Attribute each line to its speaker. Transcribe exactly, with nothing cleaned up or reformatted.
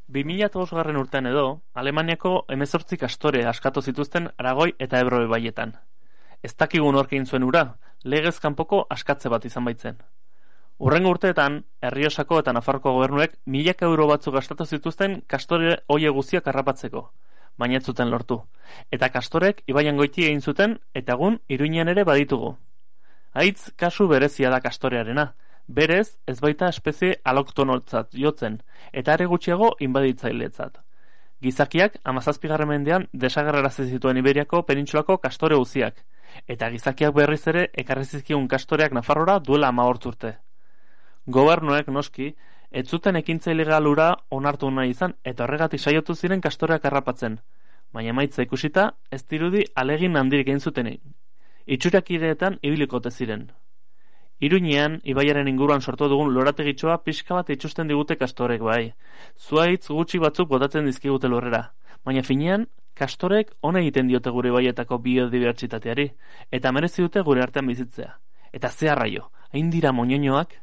Speaker 1: bi mila bosgarren urtean edo, Alemaniako hemezortzi kastore askatu zituzten Aragoi eta Ebro ibaietan. Ez dakigun nork egin zuen ura, legez kanpoko askatze bat izan baitzen. Hurrengo urteetan, Errioxako eta Nafarroko gobernuek milaka euro batzuk gastatu zituzten kastore hoie guztiak harrapatzeko, baina ez zuten lortu. Eta kastorek ibaian goiti egin zuten eta egun Iruñean ere baditugu. Haitz kasu berezia da kastorearena, berez ez baita espezie aloktonotzat jotzen, eta are gutxiago inbaditzailetzat. Gizakiak hamazazpigarren mendean desagerrarazi zituen Iberiako penintsulako kastore guztiak, eta gizakiak berriz ere ekarri zizkigun kastoreak Nafarrora duela hamabost urte. Gobernuek noski, ez zuten ekintza ilegalura onartu nahi izan eta horregatik saiatu ziren kastoreak harrapatzen, baina emaitza ikusita ez dirudi alegin handirik egin zutenik. Itxurakideetan ibilikote ziren. Iruñean, ibaiaren inguruan sortu dugun lorategitxoa pixka bat itxusten digute kastorek bai. Zuaitz gutxi batzuk botatzen dizkigute lurrera, baina finean, kastorek ona egiten diote gure ibaietako biodibertsitateari, eta merezi dute gure artean bizitzea. Eta ze arraio, hain dira moñoñoak?